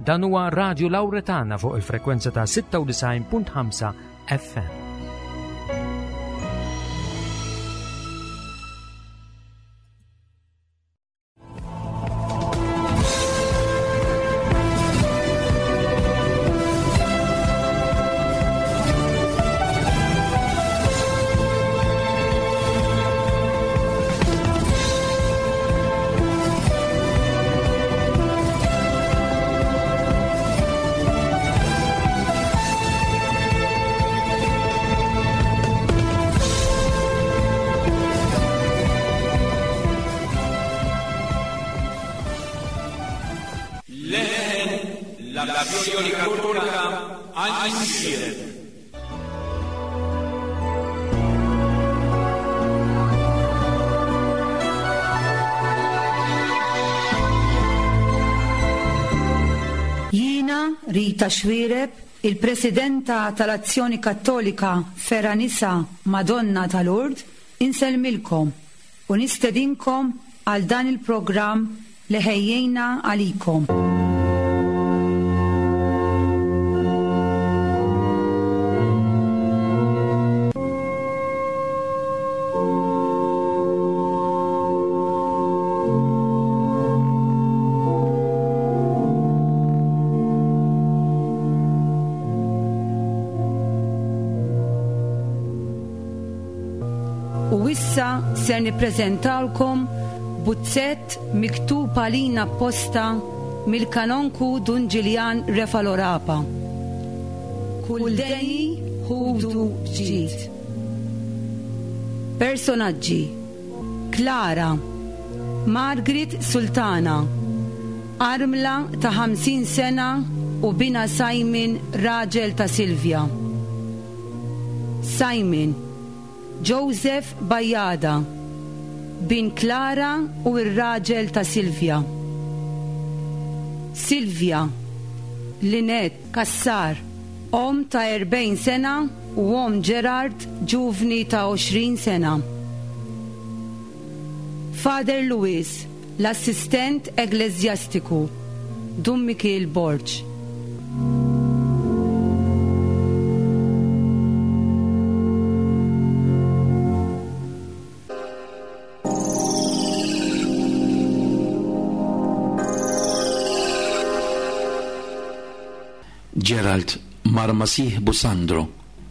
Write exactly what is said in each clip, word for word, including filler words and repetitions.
Dan huwa Radio Lauretana fuq il-frekwenza ta' sitta u disgħin punt ħamsa F M. Rita Xuereb, il-Presidenta tal-Azzjoni Kattolika Feranisa Madonna tal-Lourdes, insellmilkom u nistedinkom għal dan il-programm li ħejjejna għalikom. U issa ser nippreżentawlkom buzzett miktub għalina apposta mill-kanonku Dun Ġiljan Refalo Rapa. Kull deni ħudu ġid. Personaġġi: Clara, Margaret Sultana, armla ta' ħamsin sena u bina Simon, raġel ta' Silvia. Simon, Joseph Bajada, bin Clara u r-raġel ta' Silvia. Silvia, Lynette Cassar, om ta' erbgħin sena u om Gerard, ġuvni ta' għoxrin sena. Father Louis, l-assistent eklesjastiku, Dun Mikiel Borg. Gerald mar ma' sieħbu Sandro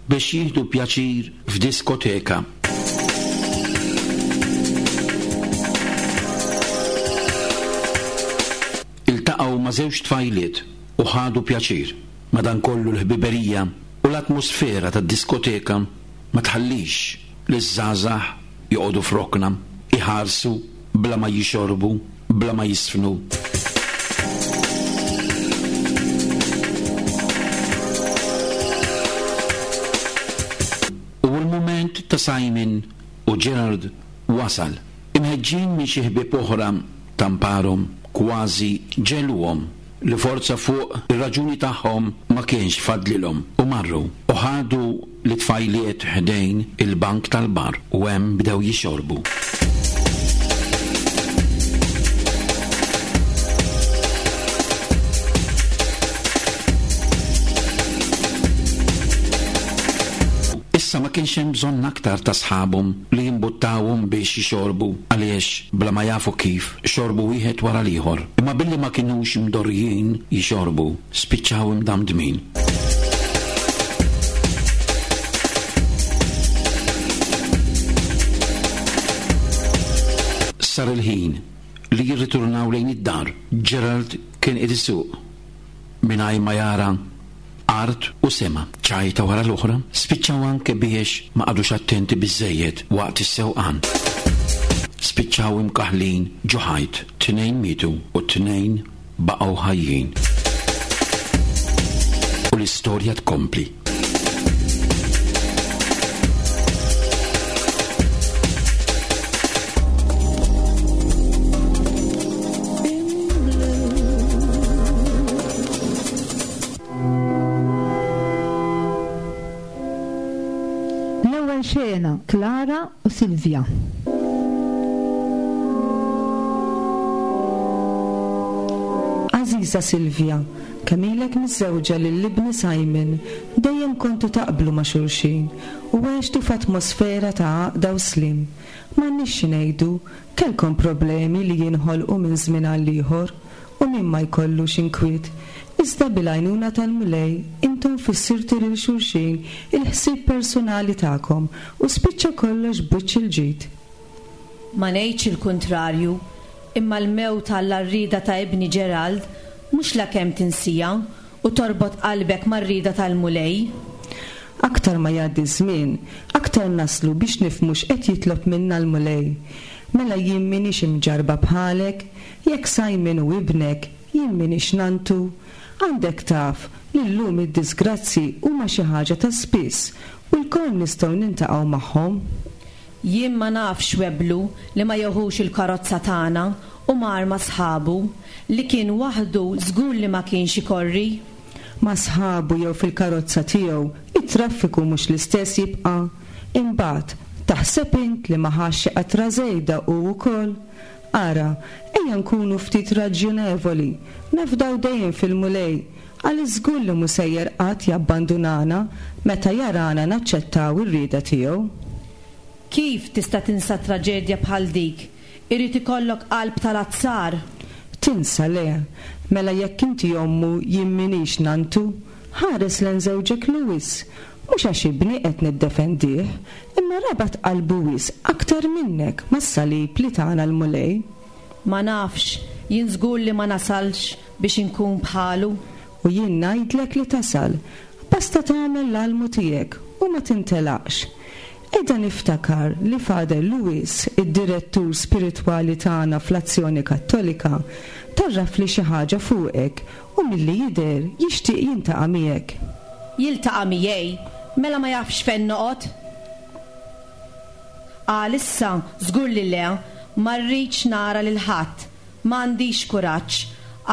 biex jieħdu pjaċir f'diskoteka. Iltaqgħu ma' żewġ tfajliet u ħadu pjaċir. Madankollu l-ħbiberija u l-atmosfera tad-diskoteka ma tħallix li ż-żgħażagħ joqogħdu f'rokna, iħarsu bla ma jixorbu, bla ma jisfnu. U l-mument ta' Simon u Gerard wasal. Imħeġġin minn xi ħbieb oħra tamparhom kważi ġeluhom li forza fuq ir-raġuni tagħhom ma kienx fadlilhom u marru u ħadu li tfajliet ħdejn il-bank tal-bar u hemm bdew jixorbu. Issa ma kienx hemm bżonn aktar ta' sħabhom li jimbuttawhom biex jixorbu għaliex bla ma jafu kif xorbu wieħed wara l-ieħor. Imma billi ma kinux imdorrijin jixorbu, spiċċaw imdamdmin. Sar il-ħin li jirriturnaw lejn id-dar. Gerald kien qed isuq mingħajr ma jara art u sema, ċajta wara l-oħra, spiċċaw anke biex ma qagħdux attenti biżżejjed waqt is-sewqan. Spiċċaw imkaħlin ġo ħajt, tnejn mietu u tnejn baqgħu ħajjin. U l-istorja tkompli. L-ewwel xena, Clara u Silvia. Aziza Silvia, Kemm ilek miżżewġa lil ibni Simon, dejjem kontu taqblu ma' xulxin u għextu f'atmosfera ta' għaqda u sliem. M'għandniex xi ngħidu, kellkom problemi li jinħolqu minn żmien għal ieħor u min ma jkollux inkwiet. Iżda bil-għajnuna tal-Mulej intom fissirtu lil xulxin il-ħsieb personali tagħkom u spiċċa kollox b'wiċċ il-ġid. Ma ngħidx il-kuntrarju, imma l-mewt għall-għarrieda ta' ibni Gerald mhux lakemm tinsieha u torbot qalbek mar-rieda tal-Mulej. Aktar ma jgħaddi żmien, aktar naslu biex nifhmu x'qed jitlob minna l-Mulej. Mela jien m'iniex imġarba bħalek, jekk Simon hu ibnek, jien m'iniex nantu. Għandek taf li llum id-disgrazzi huma xi ħaġa ta' spiss u lkoll nistgħu niltaqgħu magħhom. Jien ma nafx weblu li ma jeħux il-karozza tagħna u mar ma' sħabu li kien waħdu żgur li ma kienx ikorri. Ma' sħabu jew fil-karozza tiegħu, it-traffiku mhux l-istess jibqa'. Imbagħad, taħseb int li ma ħax xi qatra żejda hu wkoll? Ara, ejja nkunu ftit raġjonevoli, nafdaw dejjem fil-Mulej, għaliex żgur li mhu sejjer qatt jabbandunana meta jarana naċċettaw ir-rieda tiegħu. Kif tista' tinsa traġedja bħal dik? Irid ikollok qalb tal-azzar. Tinsa le, mela jekk inti ommu jien m'iniex nantu, ħares lejn żewġek Louis. Mhux għax ibni qed niddefendih, imma rabat qalbu wisq aktar minnek mas-salib li tana l-Mulej. Ma nafx, jien żgur li ma nasalx biex inkun bħalu. U jien ngħidlek li tasal, basta tagħmel l-almu tiegħek u ma tintelaqx. Qiegħda niftakar li Father Louis, id-direttur spiritwali tagħna fl-Azzjoni Kattolika, tarraf li xi ħaġa fuqek u milli jidher jixtieq jiltaqa' miegħek. Jiltaqa' miegħi, mela ma jafx fejn noqgħod? Għalissa żgur li le, ma rridx nara lil ħadd, ma għandix kuraġġ,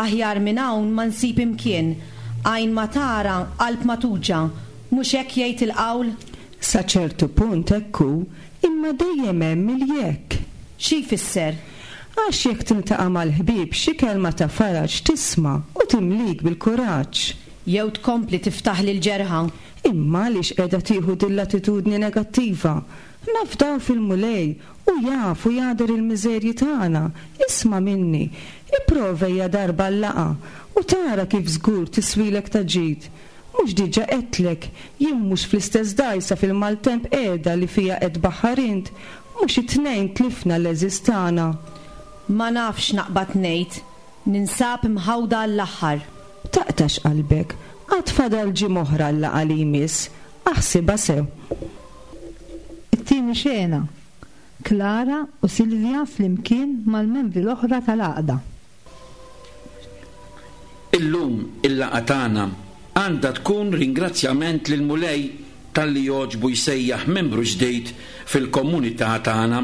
aħjar minn hawn ma nsib imkien, għajn ma tara, qalb ma tuġa', mhux hekk jgħid il-qawl? Sa ċertu punt hekk hu, imma dejjem hemm il-jekk. Xi jfisser? Għax jekk tiltaqa' mal-ħbieb xi kelma ta' faraġ tisma' u timlik bil-kuraġġ. Jew tkompli tiftaħ lil ġerħa. Imma għaliex qiegħda tieħu din l-attitudni negattiva? Nafdaw fil-Mulej u jaf u jagħder il-miżerji tagħna. Isma' minni, ipprova ejja darba l-laqgħa u tara kif żgur tiswilek ta' ġid. Mhux diġà għedtlek, jien mhux fl-istess dgħajsa fil-maltemp qiegħda li fija qed baħħar int, mhux it-tnejn tlifna l-għeżież tagħna. Ma nafx naqbad ngħid, ninsab imħawda għall-aħħar. Taqtax qalbek, għad fadal ġimgħa oħra l-laqgħa li jmiss, aħsibha sew. It-tieni xena, Klara u Silvia flimkien mal-membri l-oħra tal-għaqda. Illum il-laqgħa tagħna għandha tkun ringrazzjament lil Mulej talli jogħġbu jsejjaħ membru ġdid fil-komunità tagħna.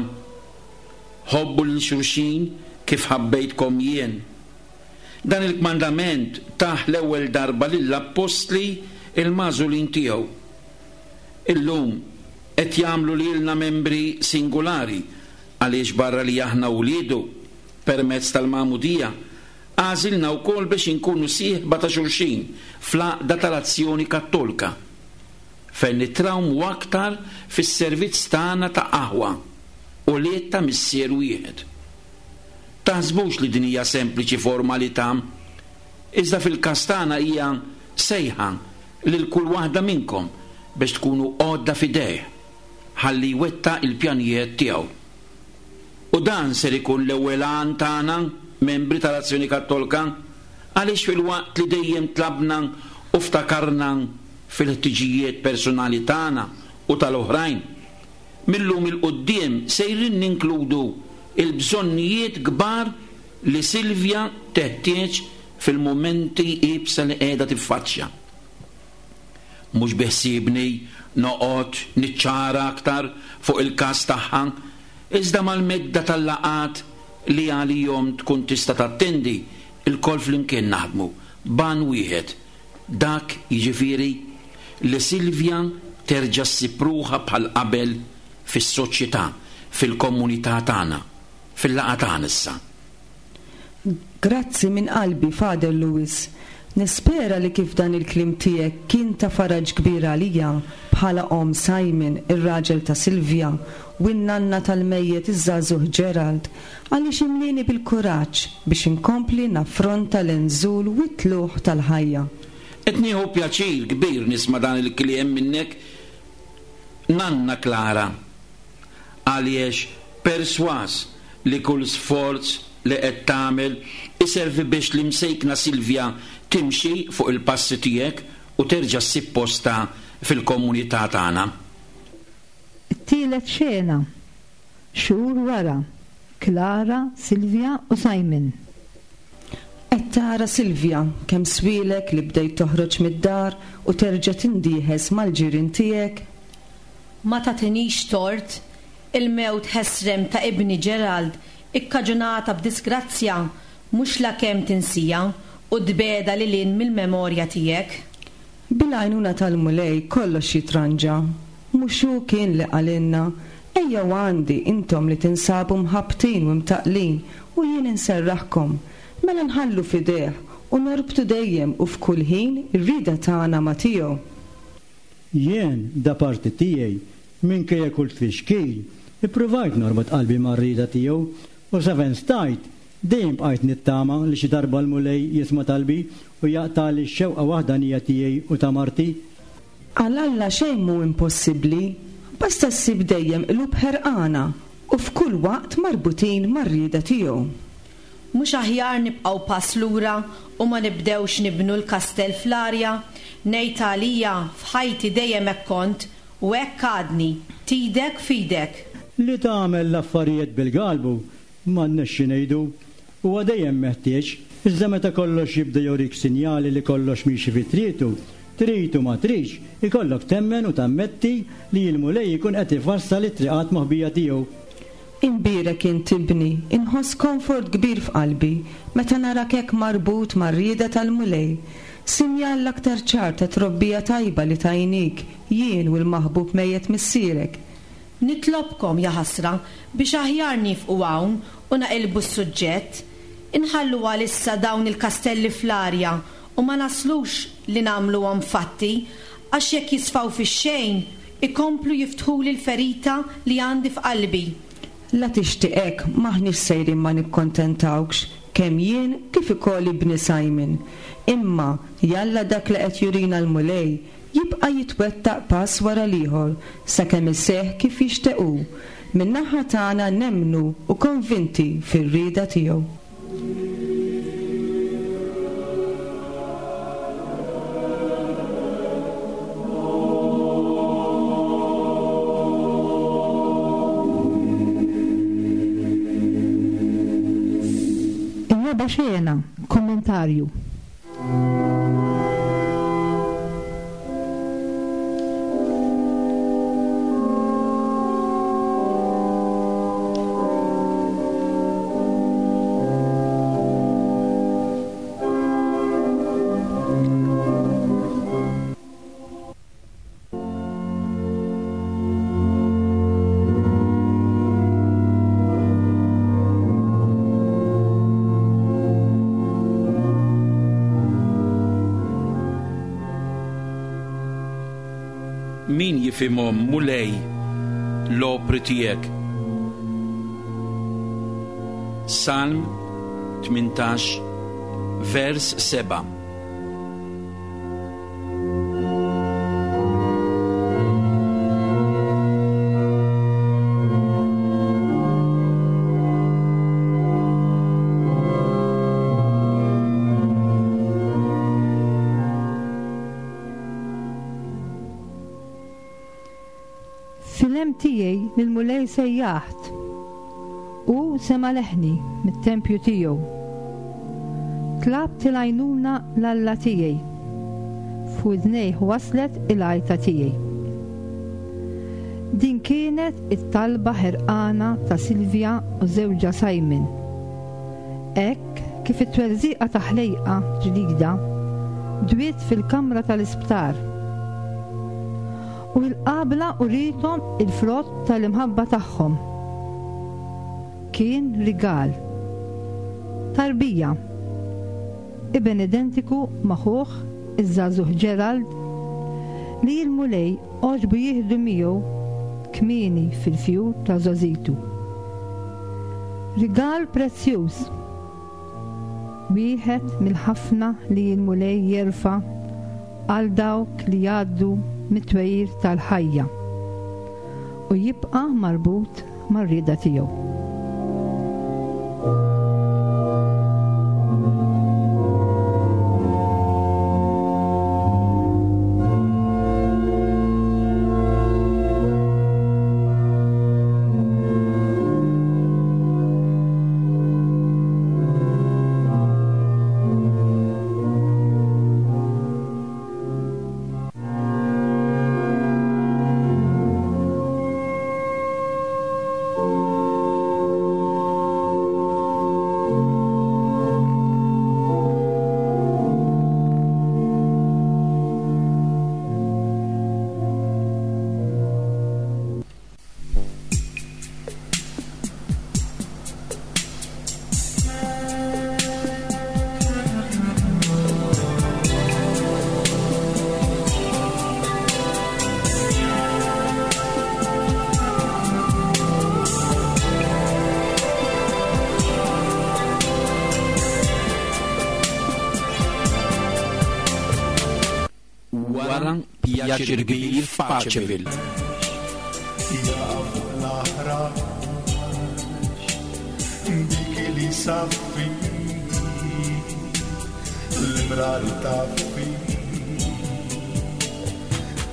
Ħobbu lil xulxin kif ħabbejtkom jien. Dan il-kmandament tah l-ewwel darba lill-appostli il-magħżulin tiegħu. Illum qed jagħmlu lilna membri singolari għaliex barra li aħna wliedu permezz tal-magħmudija għażilna wkoll biex inkunu sieħba ta' xulxin fl-għaqda tal-Azzjoni Kattolika, fejn nitrawmu aktar fis-servizz tagħna ta' aħwa u liet ta' missier wieħed. Taħsbux li din hija sempliċi formalità, iżda fil-każ tagħna hija sejħa lil kull waħda minnkom biex tkunu għodda f'idejh ħalli jwettaq il-pjanijiet tiegħu. U dan ser ikun l-ewwel għan tagħna, membri tal-Azzjoni Kattolika, għaliex fil-waqt li dejjem tlabna u ftakarna fil-ħtiġijiet personali tagħna u tal-oħrajn, millum il-quddiem sejrin ninkludu il-bżonnijiet kbar li Silvia teħtieġ fil-mumenti iebsa li qiegħda tiffaċċja. Mhux biħsiebni noqgħod niċċara aktar fuq il-każ tagħha, iżda mal-medda tal-laqgħat li għalihom tkun tista' tattendi, ilkoll flimkien naħdmu ban wieħed, dak jiġifieri li Silvia terġa' ssib ruħha bħal qabel fis-soċjetà, fil-komunità tagħna, fil-laqgħa tagħna issa. Grazzi minn qalbi, Father Louis. Nispera li kif dan il-kliem tiegħek kien ta' faraġ kbir għalija bħala omm Simon, ir-raġel ta' Silvia, u n-nanna tal-mejjet iż-żagħżugħ Gerald, għaliex imlieni bil-kuraġġ biex inkompli naffronta l-inżul u t-tlugħ tal-ħajja. Qed nieħu pjaċir kbir nisma' dan il-kliem minnek, Nanna Klara, għaliex perswas li kull sforz li qed tagħmel iservi biex l-imsejkna Silvia timxi fuq il-passi tiegħek u terġa' ssib posta fil-komunità tagħna. It-tielet xena, xhur wara, Klara, Silvia u Simon. Qed tara Silvia kemm swielek li bdejt toħroġ mid-dar u terġa' tindieħes mal-ġirien tiegħek? Ma tagħtinix tort, il-mewt ħesrem ta' ibni Gerald ikkaġunata b'disgrazzja mhux lakemm tinsija u tbeda lil hinn mill-memorja tiegħek. Bil-għajnuna tal-Mulej kollox jitranġa. Mhux hu kien li qalilna, ejjew għandi intom li tinsabu mħabbtin u mtaqlin u jien inserraħkom. Mela nħallu f'idejh u norbtu dejjem u f'kull ħin ir-rieda tagħna ma' tiegħu. Jien da parti tiegħi minkejja kull tfixkil, ippruvajt norbot qalbi mar-rieda tiegħu u sa fejn stajt dejjem bqajt nittama li xi darba l-Mulej jisma' talbi u jaqtagħli x-xewqa waħdanija tiegħi u ta' marti. Għal Alla xejn mhu impossibbli, basta ssib dejjem qlub ħerqana u f'kull waqt marbutin mar-rieda tiegħu. Mhux aħjar nibqgħu pass lura u ma nibdewx nibnu l-kastell fl-arja, ngħid għalija f'ħajti dejjem hekk kont u hekk għadni, tidek f'idek. Li tagħmel l-affarijiet bil-galbu m'għandniex xi ngħidu, huwa dejjem meħtieġ, iżda meta kollox jibda jurik sinjali li kollox miexi fi trietu, trid u ma tridx, ikollok temmen u tammetti li l-Mulej ikun qed ifassal it-triqat moħbija tiegħu. Imbierek int ibni, inħoss komfort kbir f'qalbi meta narak hekk marbut mar-rieda tal-Mulej. Sinjal l-aktar ċar ta' trobbija tajba li tajnik jien u l-maħbub mejjet missierek. Nitlobkom ja ħasra biex aħjar nifqu hawn u naqilbu s-suġġett. Inħallu għalissa dawn il-kastelli fl-arja u ma naslux li nagħmluhom fatti, għax jekk jisfaw fix-xejn ikomplu jiftħuli l-ferita li għandi f'qalbi. La tixtieqek maħniex sejrin ma nikkontentawkx kemm jien kif ukoll ibni Simon. Imma jalla dak li qed jurina l-Mulej jibqa' jitwettaq pass wara l-ieħor sakemm iseħħ kif jixtiequ. Min-naħa tagħna nemmnu u konvinti fir-rieda tiegħu. Ir-raba' xena, kommentarju. Min jifhimhom Mulej l-opri tiegħek? Salm tmintax, vers seba'. Fil-hemm tiegħi lill-Mulej sejjaħt u sema' leħni mit-tempju tiegħu. Tlabt il-għajnuna l-Alla tiegħi, f'widnejh waslet il-għajta tiegħi. Din kienet it-talba ħerqana ta' Silvia u żewġha Simon. Hekk kif it-twerżiqa ta' ħlejqa ġdida dwiet fil-kamra tal-isptar. U l-qabla urithom il-frott tal-imħabba tagħhom. Kien rigal. Tarbija. Iben identiku ma' ħuh iż-żagħżugħ Gerald li l-Mulej għoġbu jieħdu miegħu kmieni fil-fjur ta' żgħożitu. Rigal prezzjuż, wieħed mill-ħafna li l-Mulej jerfa' għal dawk li jgħaddu mit-twejjir tal-ħajja u jibqa' marbut mar-rieda tiegħu. Wara pjaċir kbir f'Paċeville. Jafu l-aħrax dik li saffi l-imrar taffi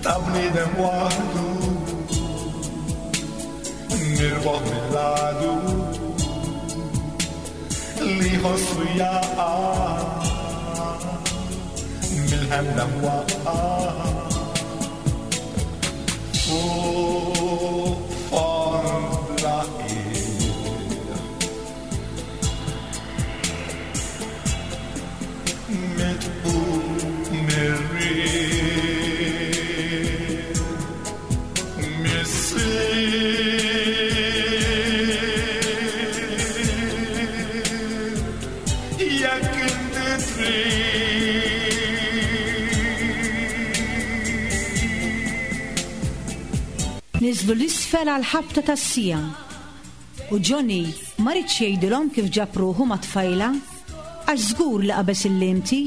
ta' bniedem waħdu mirboħ mill-għadu li ħossu jaqa' mill-ħemda mwaqqa' fuq fond bla qiegħ mitqum mir-riħ missier jekk inti trid. Niżlu l-isfel għal ħabta tas-sija u Johnny ma ridx jgħidilhom kif ġab ruħu ma' tfajla għax żgur li qabeż il-limti.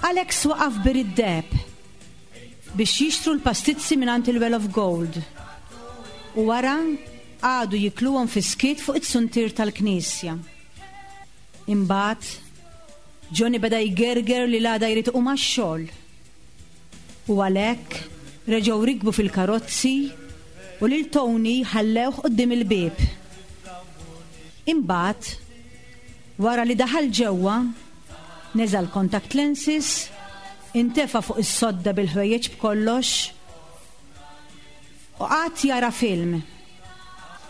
Alex waqaf bir id-deheb biex jixtru l-pastizzi mingħand il-Well of Gold u wara għadu jikluhom fi skiet fuq it-suntier tal-knisja. Imbagħad Johnny beda jgerger li l-għada jrid iqum għax-xogħol u għalhekk reġgħu rikbu fil-karozzi u lil Tony ħallewh quddiem il-bieb. Imbagħad, wara li daħal ġewwa, neża' l-contact lenses, intefa' fuq is-sodda bil-ħwejjeġ b'kollox u qagħad jara film.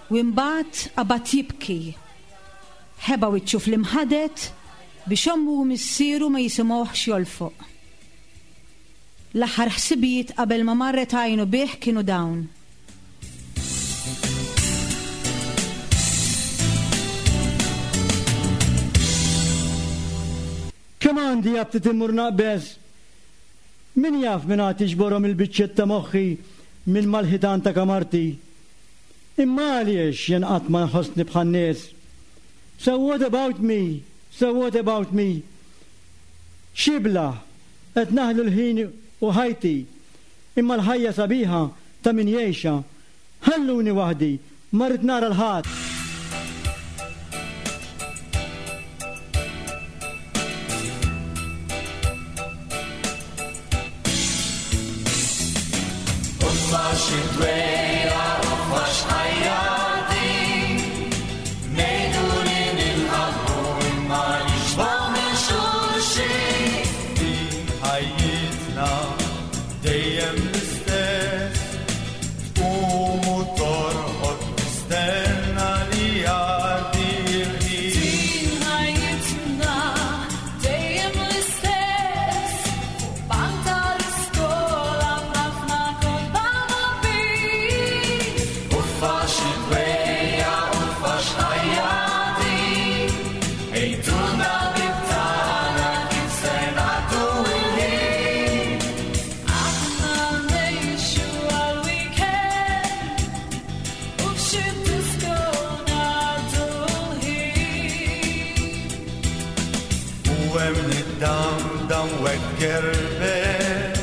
U imbagħad qabad jibki. Ħeba wiċċu fl-imħadet biex ommu u missieru ma jisimgħuhx jolfoq. L-aħħar ħsibijiet qabel ma marret għajnu bih kienu dawn. Kemm għandi aptit immur naqbeż? Min jaf min għad jiġborhom il-biċċiet ta' moħħi minn mal-ħitan ta' kamarti? Imma għaliex jien qatt ma nħossni bħan-nies? So what about me? So what about me? Xibla, qed naħlu l-ħin u ħajti, imma l-ħajja sabiħa ta' min jgħixha. Ħalluni waħdi, ma rrid nara l-ħadd. Dejjem l-istess, tqum u torqod tistenna tkerbet,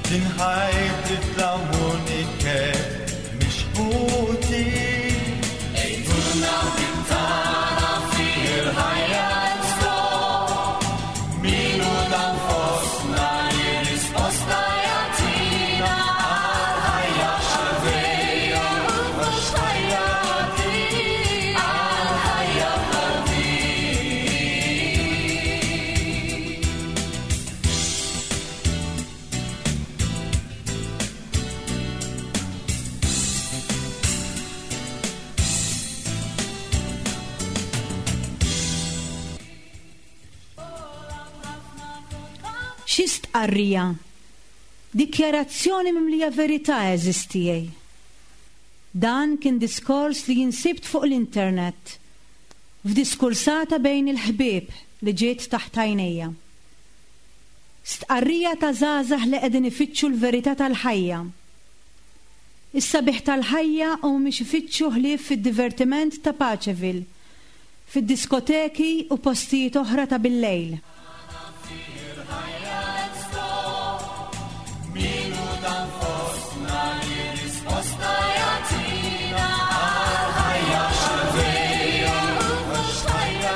tinħajt tlamuniket mhix ħuti. Ejtulna tara fih il-ħajja stop, minu dan fostna li risposta jagħtina għal-ħajja x'dejja mhux ħajja għal-ħajja bħal din. Xi stqarrija? Dikjarazzjoni mimlija verità għeżież tiegħi. Dan kien diskors li jinsibt fuq l-internet, f'diskursata bejn il-ħbieb li ġiet taħt għajnejja. Stqarrija ta' żgħażagħ li qegħdin ifittxu l-verità tal-ħajja. Is-sabiħ tal-ħajja u mhumiex ifittxu ħlief fid-divertiment ta' Paceville, fid-diskoteki u postijiet oħra ta' bil-lejl. Minu dan fostna li risposta jagħtina għal-ħajja x'dejja mhux ħajja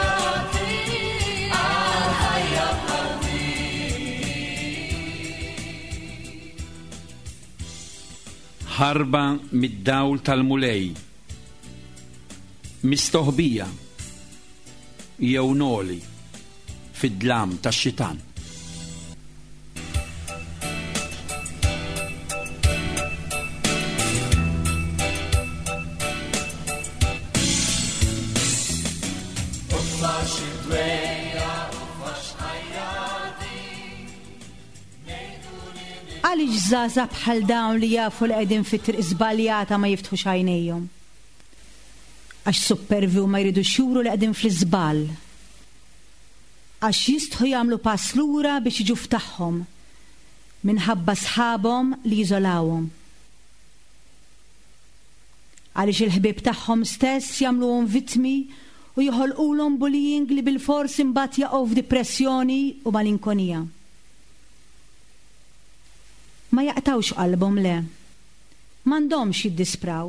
għal-ħajja bħal din. Ħarba mid-dawl tal-Mulej, mistoħbija jew noli fid-dlam tax-xitan. Għaliex żgħażagħ bħal dawn li jafu li qegħdin fit-triq żbaljata ma jiftħux għajnejhom? Għax suppervi u ma jridux juru li qegħdin fl-iżball. Għax jistħu jagħmlu pass lura biex jiġu f'tagħhom minħabba sħabhom li jiżolawhom. Għaliex il-ħbieb tagħhom stess jagħmluhom vittmi u joħolqulhom bullying li bilfors imbagħad jaqgħu f'depressjoni u malinkonija. Ma jaqtawx qalbhom le. M'għandhomx jiddispraw.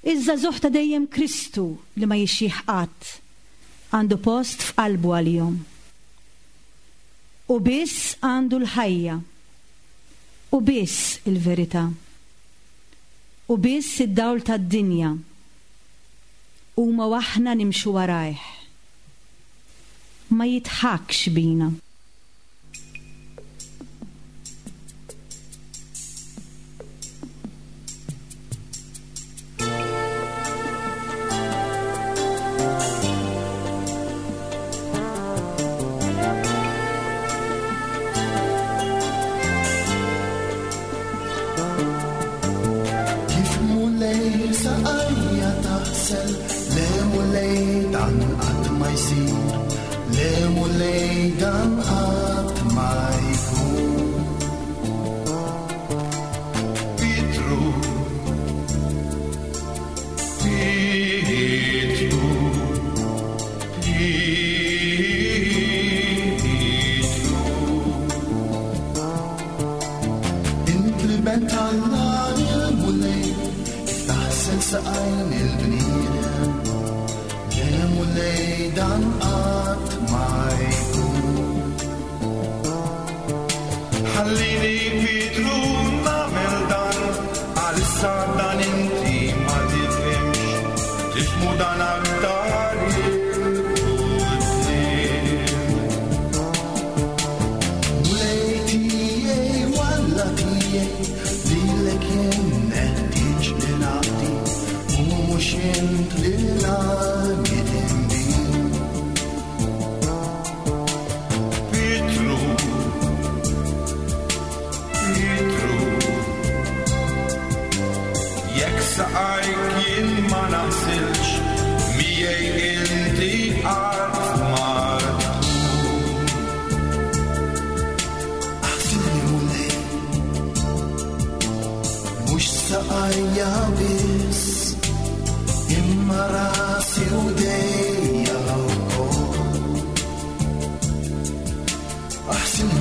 Iż-żagħżugħ ta' dejjem Kristu li ma jixxieħ qatt għandu post f'qalbu għalihom. U biss għandu l-ħajja. U biss il-verità. U biss id-dawl tad-dinja. Huma waħna nimxu warajh. Ma jitħakx bina. Kif Mulej saqajja taħsel, le Mulej dan qatt ma jsir, le Mulej dan qatt ma jkun. Pietru, Pietru, Pietru. Int li bent Alla il-Mulej, kif taħsel saqajn il-bniedem, le Mulej dan qatt ma jkun. Ħallini Pietru nagħmel dan, għalissa dan inti ma tifhimx, tifhmu dan aktar il-quddiem. Mulej tiegħi walla tiegħi, lilek jien neħtieġ li naqdi, u mhux int li l-għamil. Pietru, Pietru, jekk saqajk jien ma naħsilx, miegħi inti qatt ma tkun. Aħsilni Mulej, mhux saqajja biss, imma rasi u dejja wkoll. Aħsilni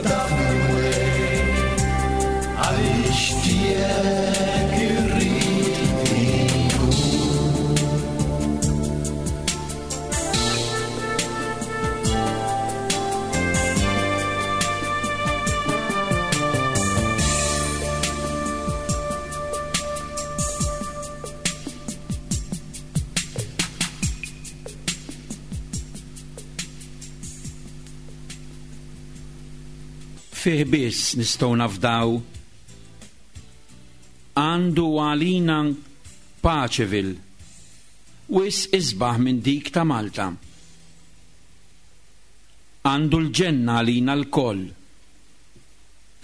Naddafni Mulej, għaliex tiegħek irrid inkun. Fih biss nistgħu nafdaw. Għandu għalina Paceville, wis isbaħ minn dik ta' Malta. Għandu l-ġenna għalina l-koll,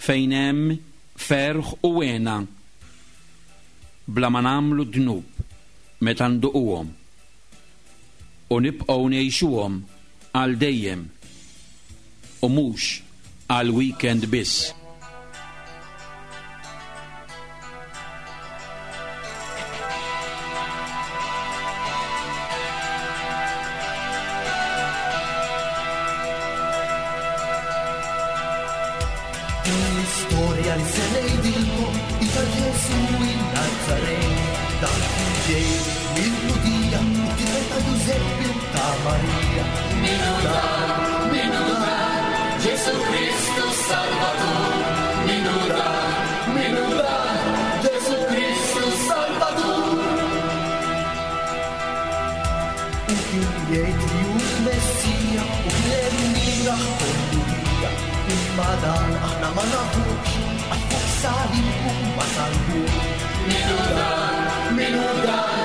fejn hemm ferħ u wena, bla ma nagħmlu dnub meta nduquhom, u nibqgħu ngħixuhom għal dejjem, u mhux għal weekend biss. Din l-istorja li se ngħidilkom hi ta' Ġesù in-Nazaret. Dan kien ġej mill-Lhudija, it-tifel ta' Ġużeppi u ta' Marija. Min hu dan? Min hu dan? Ġesù Kristu Salvatur. Min hu dan? Min hu dan? Ġesù Kristu Salvatur. U kien jgħid li hu l-Messija u kien hemm min raħ Lhudija. Imma dan aħna ma nafux, għax fuq salib u ma salbux. Min hu dan? Min hu dan?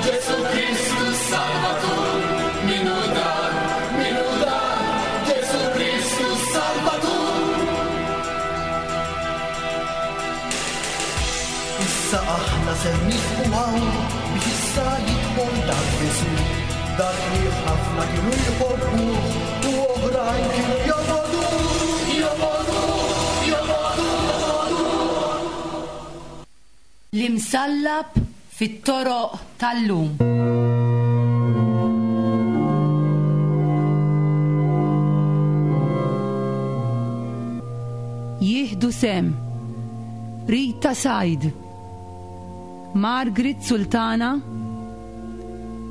Ġesù Kristu Salvatur. Min hu dan? Min hu dan? Ġesù Kristu Salvatur. Issa aħna ser nifqu hawn biex issa jidħol dak Ġesù, dak li ħafna kienu jħobbuh u oħrajn kienu jobogħduh, jobogħduh, jobogħduh. L-imsallab fit-toroq tal-lum. Jieħdu sem Rita Said, Margaret Sultana,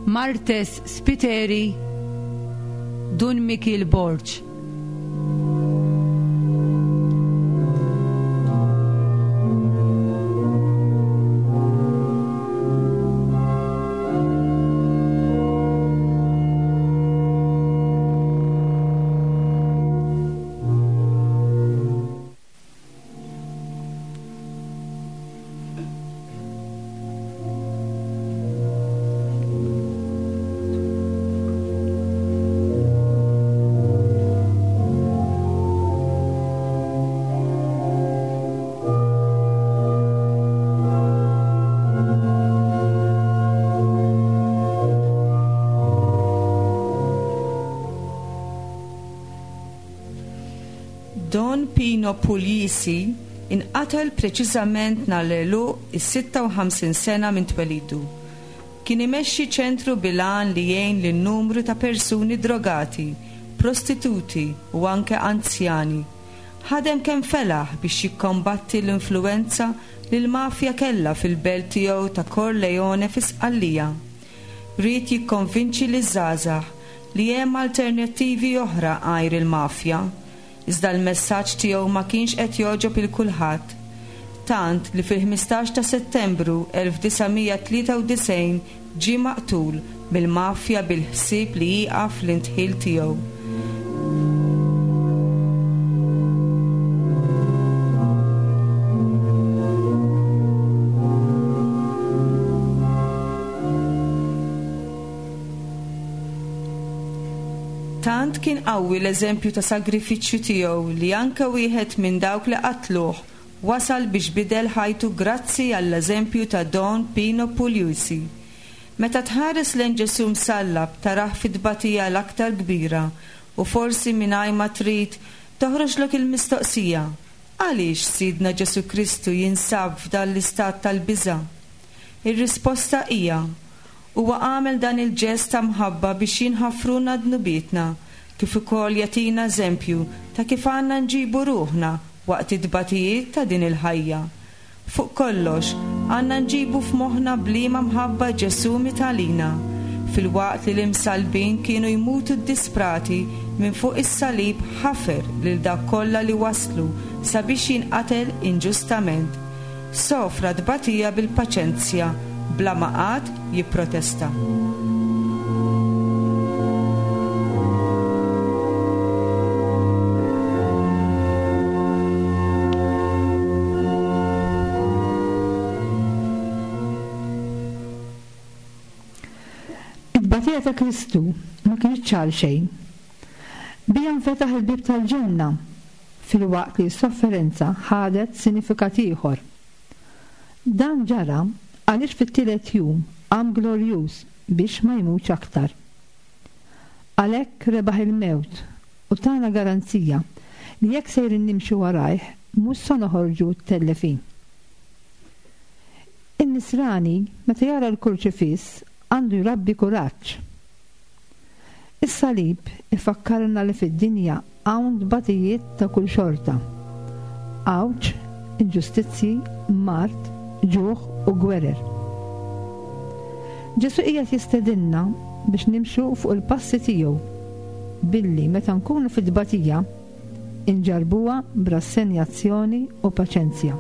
Martes Spiteri, Dun Mikil Borg. Don Pino Puglisi inqatel preċiżament nhar l-għeluq is-sitta u ħamsin sena minn twelidu. Kien imexxi ċentru bil-għan li jgħin lin numru ta' persuni drogati, prostituti u anke anzjani. Ħadem kemm felaħ biex jikkombatti l-influenza li l-mafja kellha fil-belt tiegħu ta' Corleone fi Sqallija. Ried jikkonvinċi liż-żgħażagħ li hemm alternattivi oħra għajr il-mafja. Iżda l-messaġġ tiegħu ma kienx qed jogħġob il kulħadd. Tant li fil-ħmistax ta' Settembru elf disa' mija tlieta u disgħin ġie maqtul mill-mafja bil-ħsieb li jieqaf l-intħil tiegħu. Tant kien qawwi l-eżempju ta' sagrifiċċju tiegħu li anke wieħed minn dawk li qatluh wasal biex bidel ħajtu grazzi għall-eżempju ta' Don Pino Puglisi. Meta tħares lejn Ġesù msallab tarah fit-tbatija l-aktar kbira u forsi mingħajr ma trid toħroġlok il-mistoqsija: għaliex Sidna Ġesù Kristu jinsab f'dan l-istat tal-biża'? Ir-risposta hija: huwa għamel dan il-ġest ta' mħabba biex jinħafruna dnubietna kif ukoll jagħtina eżempju ta' kif għandna nġibu ruħna waqt it-tbatijiet ta' din il-ħajja. Fuq kollox, għandna nġibu f'moħħna b'liema mħabba Ġesù miet għalina, filwaqt li l-imsallbin kienu jmutu ddisprati minn fuq is-salib ħafer lil dawk kollha li waslu sabiex jinqatel inġustament. Sofra tbatija bil-paċenzja bla ma qatt jipprotesta. It-tbatija ta' Kristu ma kinitx għal xejn. Biha nfetaħ il-bieb tal-ġenna, filwaqt li s-sofferenza ħadet sinifikat ieħor. Dan ġara għaliex fit-tielet jum qam glorjuż biex ma jmutx aktar. Għalhekk rebaħ il-mewt u tana garanzija li jekk sejrin nimxu warajh mhux se noħorġu tellefin. In-nisrani meta jara l-kurċifiss għandu jrabbi kuraġġ. Is-salib ifakkarna li fid-dinja hawn tbatijiet ta' kull xorta. Għawġ, inġustizzji, mard, ġuħ u gwerer. Ġesù qiegħed jistedinna biex nimxu fuq il-passi tiegħu billi meta nkunu fid-tbatija inġarbuha b'rassenjazzjoni u paċenzja.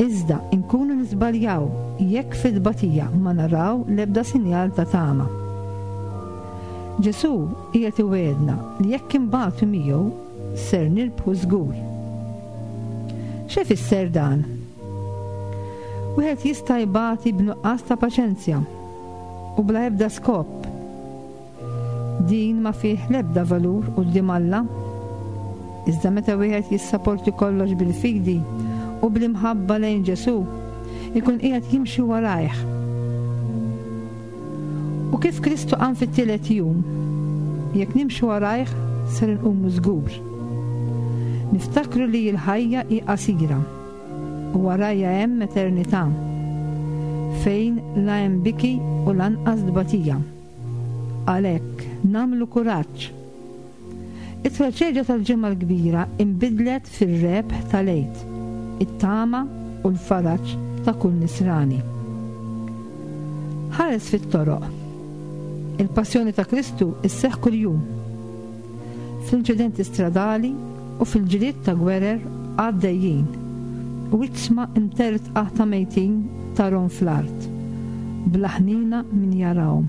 Iżda nkunu niżbaljaw jekk fid-tbatija ma naraw l-ebda sinjal ta' tama. Ġesù qiegħed iwegħedna li jekk inbatu miegħu ser nirbħu żgur. X'ifisser dan? Wieħed jista' jbati b'nuqqas ta' paċenzja u bla ebda skop. Din ma fih l-ebda valur quddiem Alla. Iżda meta wieħed jissaporti kollox bil-fidi u bl-imħabba lejn Ġesù, ikun qiegħed jimxi warajh. U kif Kristu qam fit-tielet jum, jekk nimxu warajh ser inqumu żgur. Niftakru li l-ħajja hi qasira u warajja hemm eternità fejn la hemm biki u lanqas tbatija. Għalhekk nagħmlu kuraġġ. It-traġedja tal-Ġimgħa l-Kbira inbidlet fir-rebħ tal-Għid, it-tama u l-faraġ ta' kull nisrani. Ħares fit-toroq. Il-passjoni ta' Kristu isseħħ kuljum. Fl-inċidenti stradali u fil-ġlied ta' gwerer għaddejjin u iġsma imtertqa ta' mejtin tarhom fl-art, bla ħnina min jarahom.